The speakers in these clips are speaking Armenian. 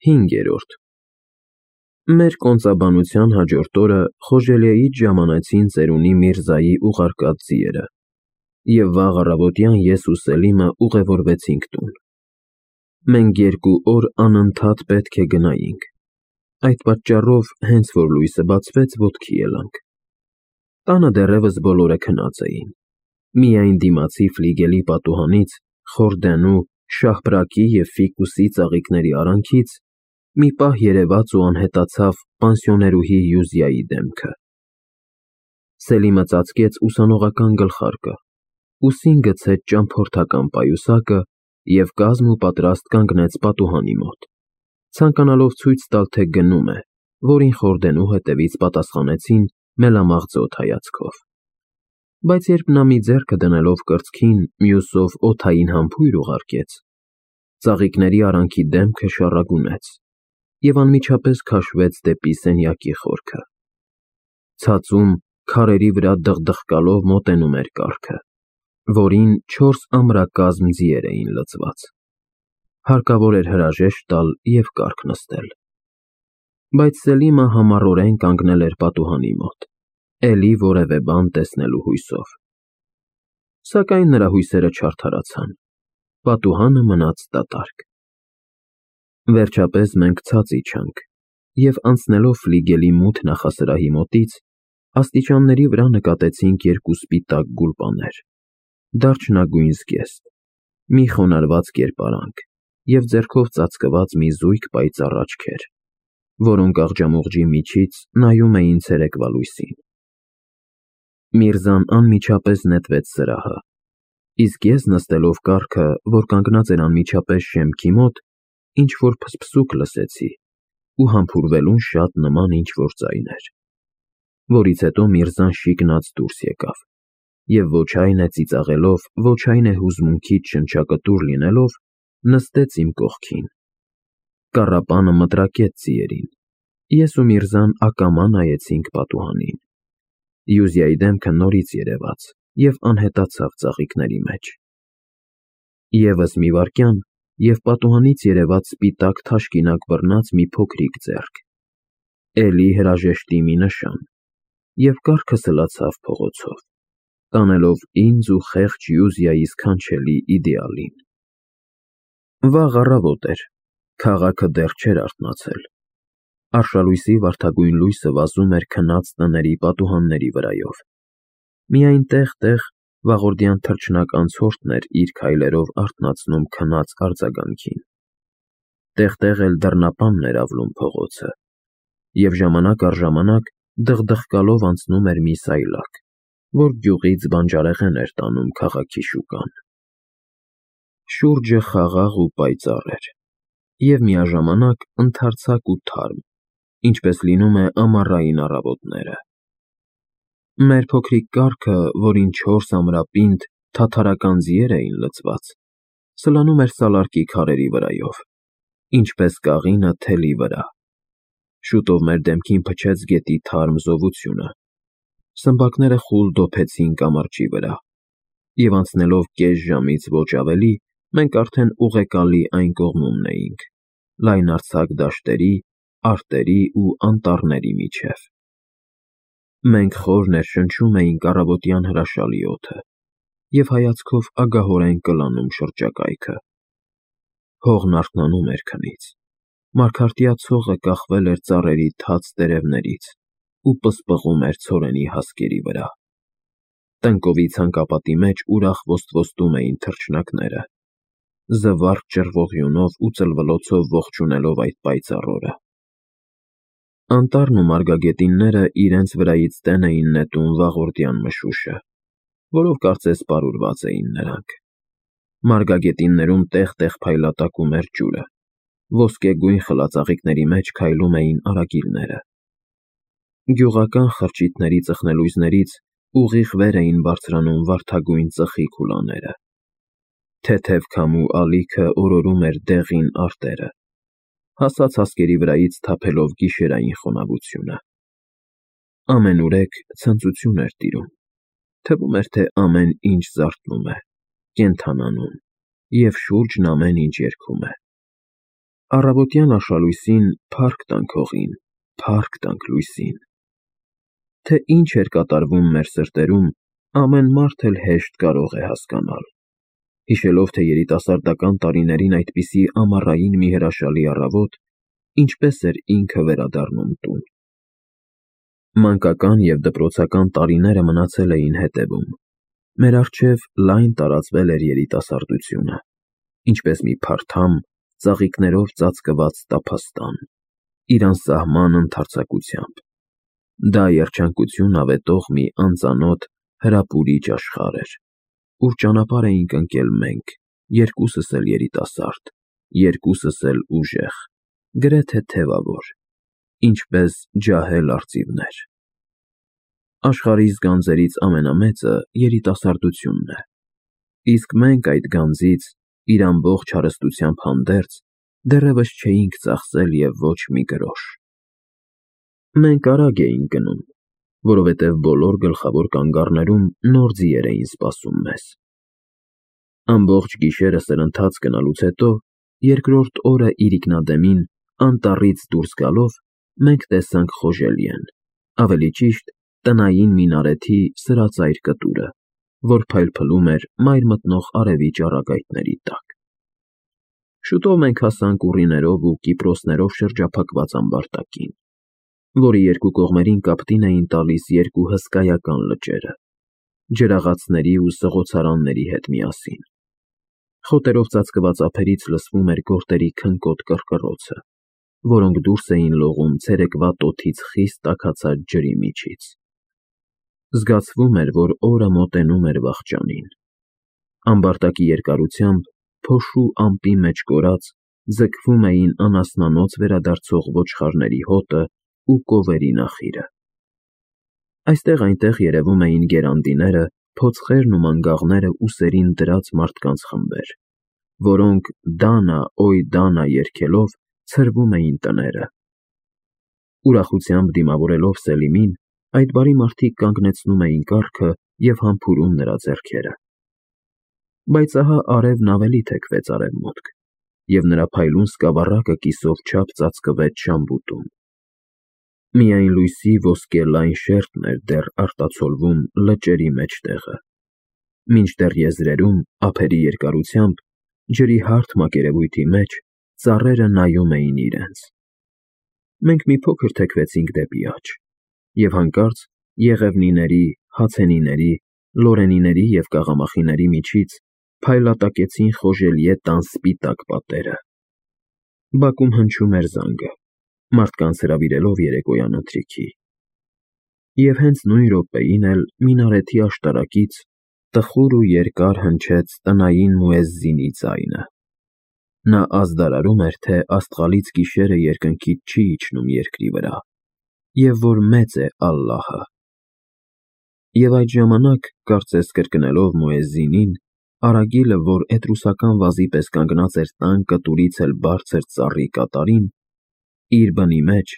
5-րդ Մեր կոնծաբանության հաջորդ օրը Խոժելիեից ժամանեցին ծերունի Միրզայի ուղարկած ձիերը, և վաղ առավոտյան ես ու Սելիմը ուղևորվեցինք տուն։ Մենք 2 օր անընդհատ պետք է գնայինք, այդ պատճառով հենց որ լույսը բացվեց, ոտքի ելանք։ Տանը դեռևս բոլորը քնած էին, միայն դիմացի ֆլիգելի պատուհանից, խորդենու, շահբրակի և ֆիկուսի ծաղիկների արանքից մի պահ երևաց ու անհետացավ պանսիոներուհի Յուզիայի դեմքը։ Սելիմը ծածկեց ուսանողական գլխարկը, ուսին գցեց ճամփորդական պայուսակը և կազմ ու պատրաստ կանգնեց պատուհանի մոտ, ցանկանալով ցույց տալ, թե գնում է, որին խորդենու հետևից պատասխանեցին մելամաղձոտ հայացքով։ Բայց երբ նա մի ձեռքը դնելով կրծքին, մյուսով օդային համբույր ուղարկեց, ծաղիկների արանքի դեմքը շառագունեց և անմիջապես քաշվեց դեպի սենյակի խորքը։ Ցածում քարերի վրա դղդղկալով մոտենում էր կառքը, որին 4 ամրակազմ ձիեր էին լցված։ Հարկավոր էր հրաժեշտ տալ և կառք նստել։ Բայց Սելիմը համառորեն կանգնել էր պատուհանի մոտ, էլի որևէ բան տեսնելու հույսով։ Սակայն նրա հույսերը չարդարացան, պատուհանը մնաց դատարկ։ Վերջապես մենք ցած իջանք և անցնելով ֆլիգելի մութ նախասրահի մոտից, աստիճանների վրա նկատեցինք 2 սպիտակ գուլպաներ, դարչնագույն զգեստ, մի խոնարհված կերպարանք և ձեռքով ծածկված մի զույգ պայծառ աչքեր, որոնք աղջամուղջի միջից նայում էին ցերեկվա լույսին։ Միրզան անմիջապես նետվեց սրահը, իսկ ես նստելով կառքը, որ կանգնած էր անմիջապես շեմքի մոտ, ինչ-որ փսփսուկ լսեցի ու համբուրվելուն շատ նման ինչ-որ ձայն էր, որից հետո Միրզան շիկնած դուրս եկավ և ոչ այն է ծիծաղելով, ոչ այն է հուզմունքից շնչակտուր լինելով, նստեց իմ կողքին։ Կառապանը մտրակեց ձիերին, ես ու Միրզան ակամա նայեցինք պատուհանին։ Յուզիայի դեմքը նորից երևաց և անհետացավ ծաղիկների մեջ։ Եվս մի վայրկյան, և պատուհանից երևաց սպիտակ թաշկինակ բռնած մի փոքրիկ ձեռք, էլի հրաժեշտի մի նշան, և կառքը սլացավ փողոցով, տանելով ինձ ու խեղճ Յուզիայի սքանչելի իդեալին։ Վաղ առավոտ էր, քաղաքը դեռ չէր արթնացել։ Արշալույսի վարդագույն լույսը վազում էր քնած տների պատուհանների վրայով։ Միայն տեղ-տեղ վաղորդյան թռչնակ անցորդն էր իր քայլերով արթնացնում քնած արձագանքին։ Տեղ-տեղ էլ դռնապանն էր ավլում փողոցը, և ժամանակ առ ժամանակ դղդղկալով անցնում էր մի սայլակ, որ գյուղից բանջարեղեն էր տանում քաղաքի շուկան։ Շուրջը խաղաղ ու պայծառ էր և միաժամանակ ընդարձակ ու թարմ, ինչպես լինում է ամառային առավոտները։ Մեր փոքրիկ կառքը, որին 4 ամրապինդ, թաթարական ձիեր էին լցված, սլանում էր սալարկի քարերի վրայով, ինչպես կաղինը թելի վրա։ Շուտով մեր դեմքին փչեց գետի թարմ զովությունը, սմբակները խուլ դոփեցին կամրջի վրա, և անցնելով կես ժամից ոչ ավելի, մենք արդեն ուղեկալի այն կողմումն էինք, լայնարձակ դաշտերի, արտերի ու անտառների միջև։ Մենք խոր ներշնչում էինք առավոտյան հրաշալի օդը և հայացքով ագահորեն կլանում շրջակայքը։ Հողն արթնանում էր քնից, մարգարտյա ցողը կախվել էր ծառերի թաց տերևներից ու պսպղում էր ցորենի հասկերի վրա։ Տնկովի ցանկապատի մեջ ուրախ ոստվոստում էին թռչնակները, զվարթ ճռվողյունով ու ծլվլոցով ողջունելով այդ պայծառ օրը։ Անտառն ու մարգագետինները իրենց վրայից տեն էին նետում վաղորդյան մշուշը, որով կարծես պարուրված էին նրանք։ Մարգագետիններում տեղ-տեղ փայլատակում էր ջուրը, ոսկեգույն խլածաղիկների մեջ քայլում էին արագիլները։ Գյուղական խրճիթների ծխնելույզներից ուղիղ վեր էին բարձրանում վարդագույն ծխի քուլաները։ Թեթև քամու ալիքը օրորում էր դեղին արտերը, հասած հասկերի վրայից թափելով գիշերային խոնավությունը։ Ամենուրեք ցնծություն էր տիրում, թվում էր, թե ամեն ինչ զարթնում է, կենդանանում, և շուրջն ամեն ինչ երգում է։ Առավոտյան աշալույսին փառք տանք հողին, փառք տանք լույսին։ Թե ինչ էր կատարվում մեր սրտերում, ամեն մարդ էլ հեշտ կարող է հասկանալ, հիշելով, թե երիտասարդական տարիներին այդպիսի ամառային մի հրաշալի առավոտ ինչպես էր ինքը վերադառնում տուն։ Մանկական և դպրոցական տարիները մնացել էին հետևում, մեր առջև լայն տարածվել էր երիտասարդությունը, ինչպես մի փարթամ, ծաղիկներով ծածկված տափաստան, իր անսահման ընդարձակությամբ։ Դա երջանկություն ավետող մի անծանոթ, հրապուրիչ աշխարհ էր, ուր ճանապարհ էինք ընկել մենք, երկուսս էլ երիտասարդ, երկուսս էլ ուժեղ, գրեթե թևավոր, ինչպես ջահել արծիվներ։ Աշխարհիս գանձերից ամենամեծը երիտասարդությունն է, իսկ մենք այդ գանձից, իր ամբողջ հարստությամբ հանդերձ, դեռևս չէինք ծախսել և ոչ մի գրոշ։ Մենք արագ էինք գնում, որովհետև բոլոր գլխավոր կանգառներում նոր ձիեր էին սպասում մեզ։ Ամբողջ գիշերը սրընթաց գնալուց հետո, երկրորդ օրը իրիկնադեմին, անտառից դուրս գալով, մենք տեսանք Խոժելիեն, ավելի ճիշտ, տնային մինարեթի սրածայր կտուրը, որ փայլփլում էր մայր մտնող արևի ճառագայթների տակ։ Շուտով մենք հասանք ուռիներով ու կիպրոսներով շրջափակված ամբարտակին, որի երկու կողմերին կապտին էին տալիս երկու հսկայական լճերը, ջրաղացների ու սղոցարանների հետ միասին։ Խոտերով ծածկված ափերից լսվում էր գորտերի քնկոտ կռկռոցը, որոնք դուրս էին լողում ցերեկվա տոթից խիստ տաքացած ջրի միջից։ Զգացվում էր, որ օրը մոտենում էր վախճանին։ Ամբարտակի երկարությամբ, փոշու ամպի մեջ կորած, ձգվում էին անասնանոց վերադարձող ոչխարների հոտը ու կովերի նախիրը։ Այստեղ-այնտեղ երևում էին գերանդիները, փոცხերն ու մանգաղները ուսերին դրած մարդկանց խմբեր, որոնք «Դանա, օյ Դանա» երգելով ցրվում էին տները։ Ուրախությամբ դիմավորելով Սելիմին, այդ բարի մարդիկ կանգնեցնում էին կառքը և համբուրում նրա ձեռքերը։ Բայց ահա արևն ավելի թեքվեց արևմուտք, և նրա փայլուն սկավառակը կիսով չափ ծածկվեց շամբուտում։ Միայն լույսի ոսկե լայն շերտն էր դեռ արտացոլվում լճերի մեջտեղը, մինչդեռ եզրերում, ափերի երկարությամբ, ջրի հարթ մակերևույթի մեջ, ծառերը նայում էին իրենց։ Մենք մի փոքր թեքվեցինք դեպի աջ, և հանկարծ եղևնիների, հացենիների, լորենիների և կաղամախիների միջից փայլատակեցին Խոժելիե տան սպիտակ պատերը։ Բակում հնչում էր զանգը, մարդկանց հրավիրելով երեկոյան ընթրիքի։ Եվ հենց նույն րոպեին էլ մինարեթի աշտարակից տխուր ու երկար հնչեց տնային մուեզզինի ձայնը։ Նա ազդարարում էր, թե աստղալից գիշերը երկնքից չի իջնում երկրի վրա, և որ մեծ է Ալլահը։ Եվ այդ ժամանակ, կարծես կրկնելով մուեզզինին, արագիլը, որ էտրուսական վազի պես կանգնած էր տան կտուրից էլ բարձր ծառի կատարին, իր բնի մեջ,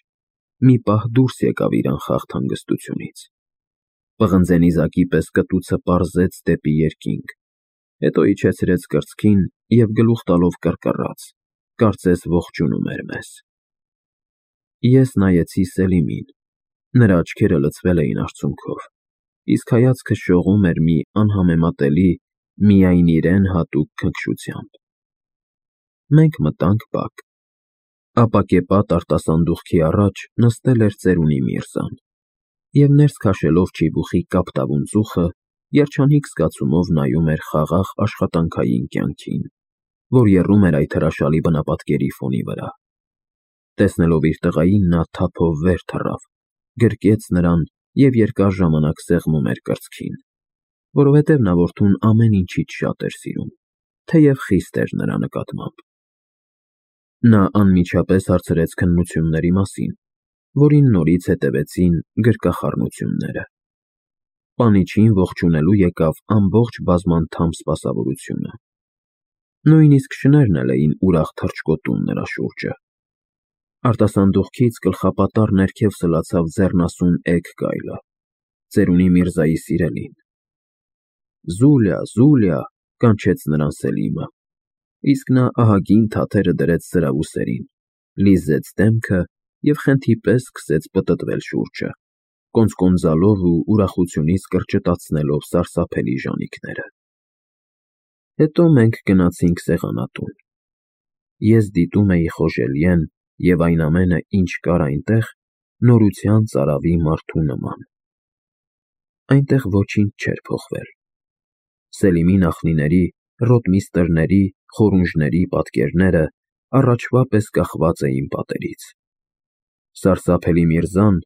մի պահ դուրս եկավ իր անխախտ հանգստությունից, պղնձե նիզակի պես կտուցը պարզեց դեպի երկինք, հետո իջեցրեց կրծքին և գլուխ տալով կռկռաց, կարծես ողջունում էր մեզ։ Ես նայեցի Սելիմին, նրա աչքերը լցվել էին արցունքով, իսկ հայացքը շողում էր մի անհամեմատելի, միայն իրեն հատուկ քնքշությամբ։ Մենք մտանք բակ։ Ապակեպատ արտասանդուղքի առաջ նստել էր ծերունի Միրզան, և ներս քաշելով չիբուխի կապտավուն ծուխը, երջանիկ զգացումով նայում էր խաղաղ աշխատանքային կյանքին, որ եռում էր այդ հրաշալի բնապատկերի ֆոնի վրա։ Տեսնելով իր տղային, նա թափով վեր թռավ, գրկեց նրան և երկար ժամանակ սեղմում էր կրծքին, որովհետև նա որդուն ամեն ինչից շատ էր սիրում, թեև խիստ էր նրա նկատմամբ։ Նա անմիջապես հարցրեց քննությունների մասին, որին նորից հետևեցին գրկախառնությունները։ Պանիչին ողջունելու եկավ ամբողջ բազմանդամ սպասավորությունը։ Նույնիսկ շներն էլ էին ուրախ թռչկոտում նրա շուրջը։ Արտասանդուղքից գլխապատառ ներքև սլացավ ձեռնասուն էգ գայլը, ծերունի Միրզայի սիրելին։ «Զուլյա, Զուլյա», կանչեց նրան Սելիմը։ Իսկ նա ահագին թաթերը դրեց սրավուսերին, լիզեց դեմքը և խենթի պես սկսեց պտտվել շուրջը, կոնծկոնձալով ու ուրախությունից կրճտացնելով սարսափելի ժանիքները։ Հետո մենք գնացինք սեղանատուն։ Ես դիտում էի Խոժելիեն և այն ամենը, ինչ կար այնտեղ, նորության ծարավի մարդու նման։ Այնտեղ ոչինչ չէր փոխվել։ Սելիմի նախնիների, ռոտմիստրների, խորունժների պատկերները առաջվա պես կախված էին պատերից։ Սարսափելի Միրզան,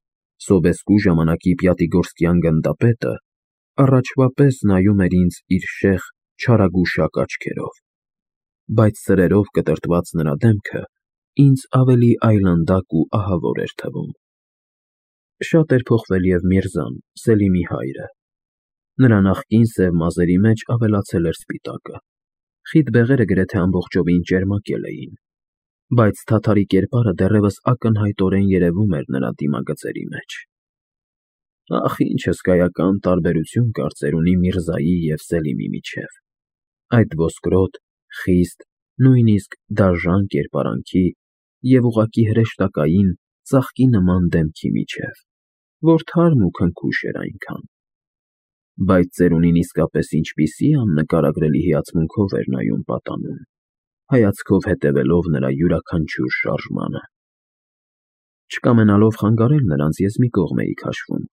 Սոբեսկու ժամանակի Պյատիգորսկյան գնդապետը, առաջվա պես նայում էր ինձ իր շեղ, չարագուշակ աչքերով, բայց սրերով կտրտված նրա դեմքը ինձ ավելի այլանդակ ու ահավոր էր թվում։ Շատ էր փոխվել և Միրզան, Սելիմի հայրը։ Նրա նախկին սև մազերի մեջ ավելացել էր սպիտակը, խիտ բեղերը գրեթե ամբողջովին ճերմակել էին, բայց թաթարի կերպարը դեռևս ակնհայտորեն երևում էր նրա դիմագծերի մեջ։ Ախ, ինչ հսկայական տարբերություն կար ծերունի Միրզայի և Սելիմի միջև, այդ ոսկրոտ, խիստ, նույնիսկ դաժան կերպարանքի և ուղղակի հրեշտակային, ծաղկի նման դեմքի միջև, որ թարմ ու քնքուշ էր այնքան։ Բայց ծերունին իսկապես ինչպիսի աննկարագրելի հիացմունքով էր նայում պատանուն, հայացքով հետևելով նրա յուրաքանչյուր շարժմանը։ Չկամենալով խանգարել նրանց ես մի կողմ էի քաշվում,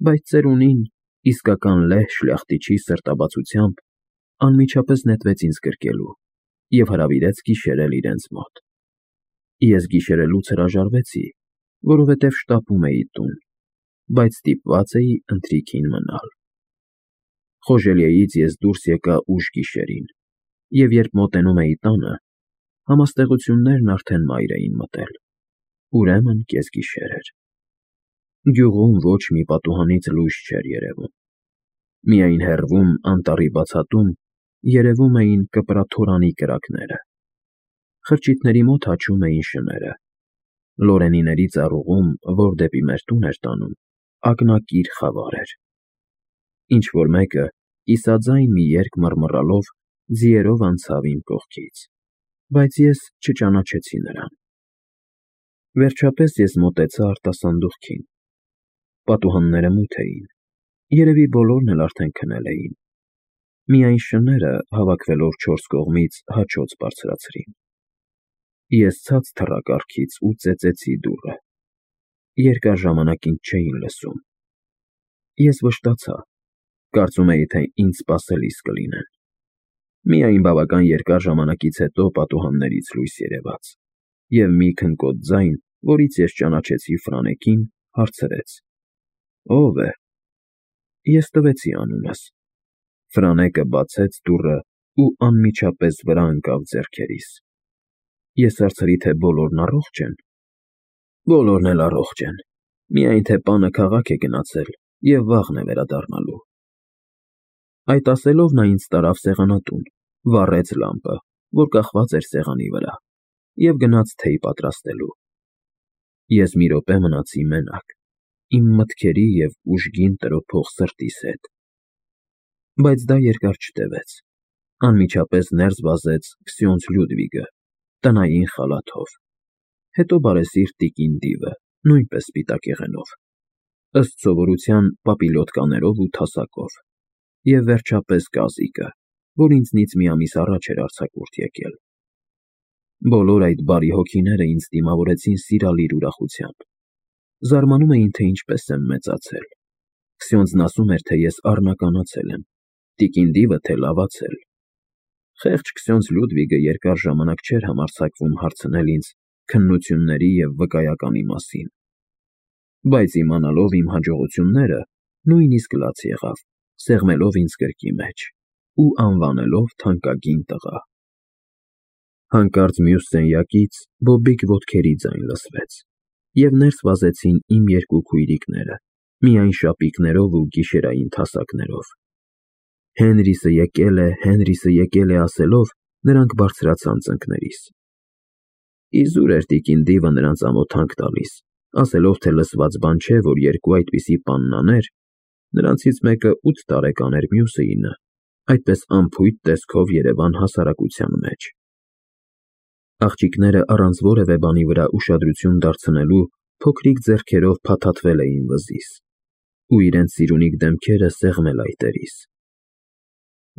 բայց ծերունին, իսկական լեհ շլյախտիչի սրտաբացությամբ, անմիջապես նետվեց ինձ գրկելու և հրավիրեց գիշերել իրենց մոտ։ Ես գիշերելուց հրաժարվեցի, որովհետև շտապում էի տուն, բայց ստիպված էի ընթրիքին մնալ։ Խոժելիեից ես դուրս եկա ուշ գիշերին, և երբ մոտենում էի տանը, համաստեղություններն արդեն մայր էին մտել, ուրեմն կեսգիշեր էր։ Գյուղում ոչ մի պատուհանից լույս չէր երևում։ Միայն հեռվում, անտառի բացատում, երևում էին կպրաթորանի կրակները։ Խրճիթների մոտ հաչում էին շները։ Լորենիների ծառուղում, որ դեպի մեր տուն էր տանում, ակնակիր խավար էր։ Ինչ-որ մեկը, կիսաձայն մի երգ մռմռալով, ձիերով անցավ իմ կողքից, բայց ես չճանաչեցի նրան։ Վերջապես ես մոտեցա արտասանդուղքին։ Պատուհանները մութ էին, երևի բոլորն էլ արդեն քնել էին։ Միայն շները, հավաքվելով չորս կողմից, հաչոց բարձրացրին։ Ես ցած թռա կառքից ու ծեծեցի դուռը։ Երկար ժամանակ ինձ չէին լսում։ Ես վշտացա, կարծում էի, թե ինձ սպասելիս կլինեն։ Միայն բավական երկար ժամանակից հետո պատուհաններից լույս երևաց, և մի քնկոտ ձայն, որից ես ճանաչեցի Ֆրանեկին, հարցրեց. «Ո՞վ է»։ Ես տվեցի անունս։ Ֆրանեկը բացեց դուռը ու անմիջապես վրա ընկավ ձեռքերիս։ Ես հարցրի, թե բոլորն առողջ են։ Բոլորն էլ առողջ են, միայն թե պանը քաղաք է գնացել և վաղն է վերադառնալու։ Այդ ասելով նա ինձ տարավ սեղանատուն, վառեց լամպը, որ կախված էր սեղանի վրա, և գնաց թեյ պատրաստելու։ Ես մի րոպե մնացի մենակ, իմ մտքերի և ուժգին տրոփող սրտիս հետ։ Բայց դա երկար չտևեց։ Անմիջապես ներս վազեց Քսյոնձ Լյուդվիգը, տնային խալաթով, հետո բարեսիրտ տիկին Դիվը, նույնպես սպիտակ եղենով, ըստ սովորության պապիլյոտկաներով ու թասակով, և վերջապես Կազիկը, որ ինձնից մի ամիս առաջ էր արձակուրդ եկել։ Բոլոր այդ բարի հոգիները ինձ դիմավորեցին սիրալիր ուրախությամբ։ Զարմանում էին, թե ինչպես եմ մեծացել։ Քսյոնձն ասում էր, թե ես առնականացել եմ, տիկին Դիվը, թե լավացել։ Խեղճ Քսյոնձ Լյուդվիգը երկար ժամանակ չէր համարձակվում հարցնել ինձ քննությունների և վկայականի մասին։ Բայց իմանալով իմ հաջողությունները, նույնիսկ լաց եղավ, սեղմելով ինձ գրկի մեջ ու անվանելով թանկագին տղա։ Հանկարծ մյուս սենյակից բոբիկ ոտքերի ձայն լսվեց, և ներս վազեցին իմ երկու քույրիկները, միայն շապիկներով ու գիշերային թասակներով։ Հենրիսը եկել է, Հենրիսը եկել է ասելով, նրանք բարձրացան ծնկներիս։ Իզուր էր տիկին Դիվը նրանց ամոթ հանք տալիս, ասելով, թե լսված բան չէ, որ երկու այդպիսի պաննաներ, նրանցից մեկը 8 տարեկան էր, մյուսը 9, այդպես անփույթ տեսքով երևան հասարակության մեջ։ Աղջիկները առանց որևէ բանի վրա ուշադրություն դարձնելու փոքրիկ ձեռքերով փաթաթվել էին վզից ու իրենց սիրունիկ դեմքերը սեղմել այտերից։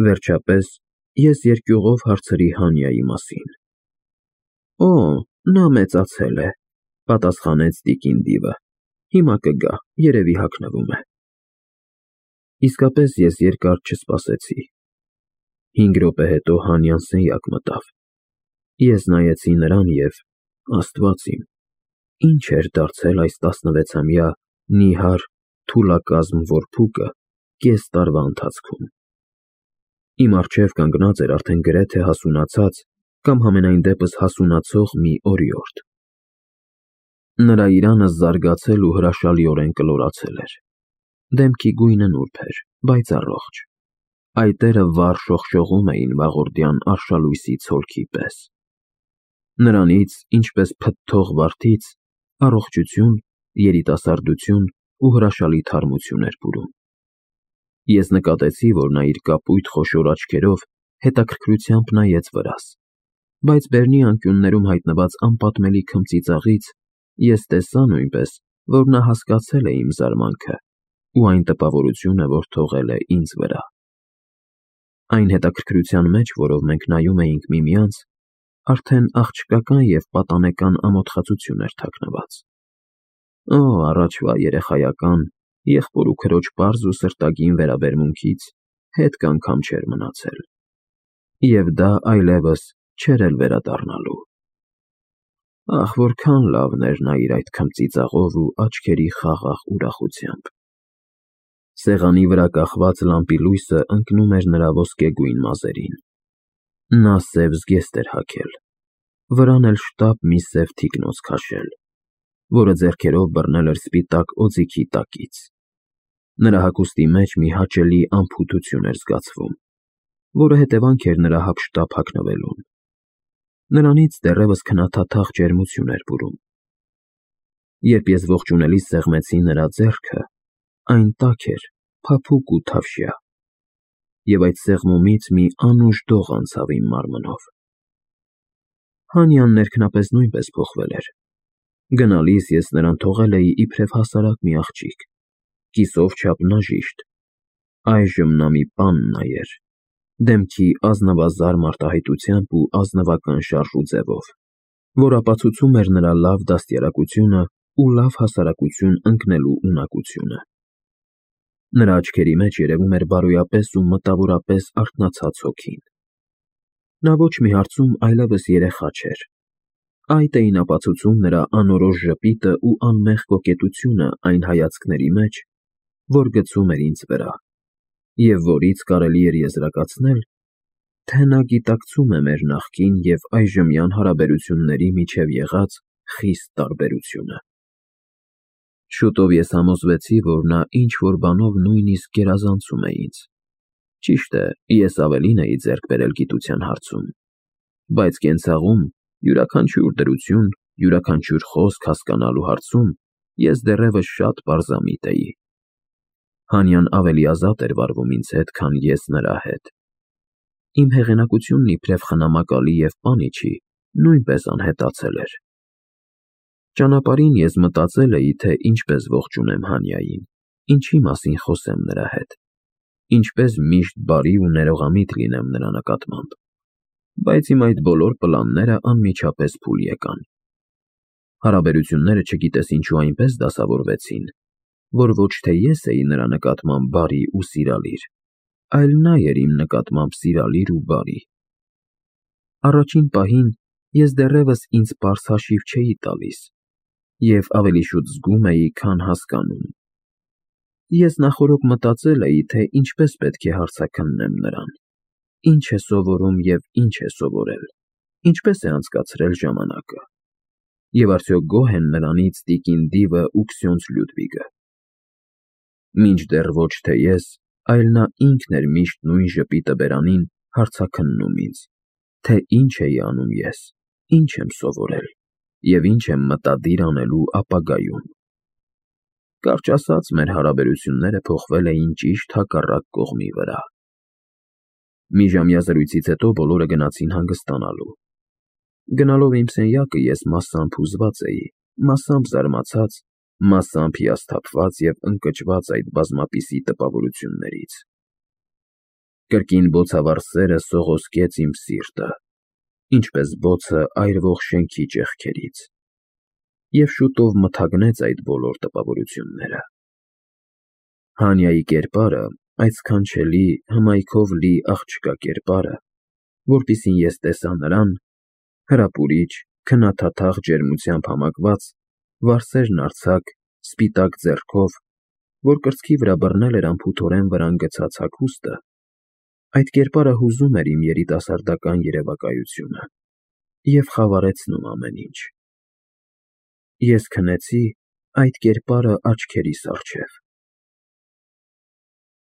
Վերջապես ես երկյուղով հարցրի Հանյայի մասին։ Օ, նա մեծացել է, պատասխանեց տիկին Դիվը, հիմա կգա, երևի հագնվում է։ Իսկապես ես երկար չսպասեցի։ 5 րոպե հետո Հանյան սենյակ մտավ։ Ես նայեցի նրան և, Աստված իմ, ինչ էր դարձել այս 16-ամյա նիհար թուլակազմ որփուկը կես տարվա ընթացքում։ Իմ առջև կանգնած էր արդեն գրեթե հասունացած կամ համենայն դեպս հասունացող մի օրիորդ։ Նրա իրանը զարգացել ու հրաշալիորեն կլորացել էր։ Դեմքի գույնը նուրբ էր, բայց առողջ։ Այտերը վառ շողշողում էին վաղորդյան արշալույսի ցոլքի պես։ Նրանից, ինչպես փթթող վարդից, առողջություն, երիտասարդություն ու հրաշալի թարմություն էր բուրում։ Ես նկատեցի, որ նա իր կապույտ խոշոր աչքերով հետաքրքրությամբ նայեց վրաս, բայց բերնի անկյուններում հայտնված անպատմելի քմծիծաղից ես տեսա նույնպես, որ նա հասկացել է իմ զարմանքը ու այն տպավորությունը, որ թողել է ինձ վրա։ Այն հետաքրքրության մեջ, որով մենք նայում էինք միմյանց, արդեն աղջկական և պատանեկան ամոթխածություն էր թաքնված։ Օ, առաջվա երեխայական, եղբոր ու քրոջ պարզ ու սրտագին վերաբերմունքից հետք անգամ չէր մնացել։ Եվ դա այլևս չէր էլ վերադառնալու։ Ահ, որքան լավն էր նա իր այդ քմծիծաղով ու աչքերի խաղաղ ուրախությամբ։ Սեղանի վրա կախված լամպի լույսը ընկնում էր նրա ոսկեգույն մազերին։ Նա սև զգեստ էր հագել, վրան էլ շտապ մի սև թիկնոց քաշել, որը ձեռքերով բռնել էր սպիտակ օձիքի տակից։ Նրա հագուստի մեջ մի հաճելի անփութություն էր զգացվում, որը հետևանք էր նրա հափշտապ հագնվելուն։ Նրանից դեռևս քնաթաթախ ջերմություն էր բուրում։ Երբ ես ողջունելիս սեղմեցի նրա ձեռքը, այն տաք էր, փափուկ ու թավշյա, և այդ սեղմումից մի անուշ դող անցավ իմ մարմնով։ Հանյան ներքնապես նույնպես փոխվել էր։ Գնալիս ես նրան թողել էի իբրև հասարակ մի աղջիկ, կիսով չափնաժիշտ։ Այժմ նա մի պան էր, դեմքի ազնվազար մարտահայտությամբ ու ազնվական շարժ ու ձևով, որ ապացուցում էր նրա լավ դաստիարակությունը ու լավ հասարակություն ընկնելու ունակությունը։ Նրա աչքերի մեջ երևում էր բարոյապես ու մտավորապես արթնացած հոգին։ Նա ոչ մի հարցում այլևս երեխա չէր։ Այդ էին ապացուցում նրա անորոշ ժպիտը ու անմեղ կոկետությունը այն հայացքների մեջ, որ գցում էր ինձ վրա, և որից կարելի էր եզրակացնել, թե նա գիտակցում է մեր նախկին և այժմյան հարաբերությունների միջև եղած խիստ տարբերությունը։ Շուտով ես համոզվեցի, որ նա ինչ-որ բանով նույնիսկ գերազանցում է ինձ։ Ճիշտ է, ես ավելին էի ձեռք բերել գիտության հարցում, բայց կենցաղում յուրաքանչյուր դրություն, յուրաքանչյուր խոսք հասկանալու հարցում ես դեռևս շատ պարզամիտ էի։ Հանյան ավելի ազատ էր վարվում ինձ հետ, քան ես նրա հետ։ Իմ հեղինակությունն իբրև խնամակալի և պանիչի նույնպես անհետացել էր։ Ճանապարհին ես մտածել էի, թե ինչպես ողջունեմ Հանյային, ինչի մասին խոսեմ նրա հետ, ինչպես միշտ բարի ու ներողամիտ լինեմ նրա նկատմամբ, բայց իմ այդ բոլոր պլանները անմիջապես փուլ եկան։ Հարաբերությունները չգիտես ինչու այնպես դասավորվեցին, որ ոչ թե ես էի նրա նկատմամբ բարի ու սիրալիր, այլ նա էր իմ նկատմամբ սիրալիր ու բարի։ Առաջին պահին ես դեռևս ինձ պարզ հաշիվ չէի տալիս և ավելի շուտ զգում էի, քան հասկանում։ Ես նախօրոք մտածել էի, թե ինչպես պետք է հարցաքննեմ նրան, ինչ է սովորում և ինչ է սովորել, ինչպես է անցկացրել ժամանակը, և արդյոք գոհ են նրանից տիկին Դիվը ու քսյոնց Լյուդվիգը։ Մինչդեռ ոչ թե ես, այլ նա ինքն էր միշտ նույն ժպիտը բերանին հարցաքննում ինձ, թե ինչ էի անում ես, ինչ եմ սովորել և ինչ եմ մտադիր անելու ապագայում։ Կարճ ասած, մեր հարաբերությունները փոխվել էին ճիշտ հակառակ կողմի վրա։ Մի ժամյա զրույցից հետո բոլորը գնացին հանգստանալու։ Գնալով իմ սենյակը ես մասամբ հուզված էի, մասամբ զարմացած, մասամբ հիասթափված և ընկճված այդ բազմապիսի տպավորություններից։ Կրկին բոցավառ սերը սողոսկեց իմ սիրտը, ինչպես բոցը այրվող շենքի ճեղքերից, և շուտով մթագնեց այդ բոլոր տպավորությունները։ Հանյայի կերպարը, այդ սքանչելի, հմայքով լի աղջկա կերպարը, որպեսզի ես տեսա նրան, հրապուրիչ, քննադատաղ ջերմությամբ համակված, վարսերն արձակ, սպիտակ ձեռքով, որ կրծքի վրա բռնել էր անփութորեն վրան գցած հագուստը, այդ կերպարը հուզում էր իմ երիտասարդական երևակայությունը և խավարեցնում ամեն ինչ։ Ես քնեցի այդ կերպարը աչքերիս առջև։